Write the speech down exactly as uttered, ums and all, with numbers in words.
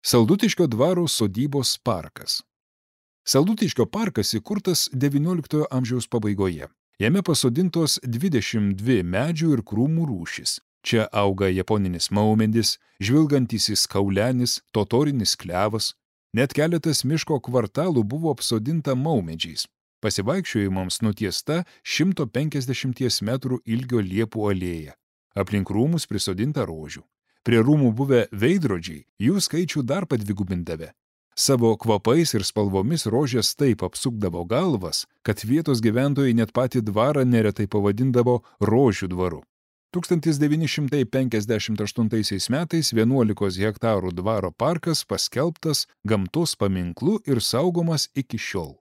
Saldutiškio dvaro sodybos parkas. Saldutiškio parkas įkurtas devynioliktojo amžiaus pabaigoje. Jame pasodintos dvidešimt dvi medžių ir krūmų rūšys. Čia auga japoninis maumedis, žvilgantysis kaulenis, totorinis klevas. Net keletas miško kvartalų buvo apsodinta maumedžiais. Pasivaikščiojimams nutiesta šimto penkiasdešimties metrų ilgio liepų alėja. Aplink rūmus prisodinta rožių. Prie rūmų buvę veidrodžiai jų skaičių dar padvigubindavę. Savo kvapais ir spalvomis rožės taip apsukdavo galvas, kad vietos gyventojai net patį dvarą neretai pavadindavo rožių dvaru. tūkstantis devyni šimtai penkiasdešimt aštuntaisiais metais vienuolikos hektarų dvaro parkas paskelbtas gamtos paminklu ir saugomas iki šiol.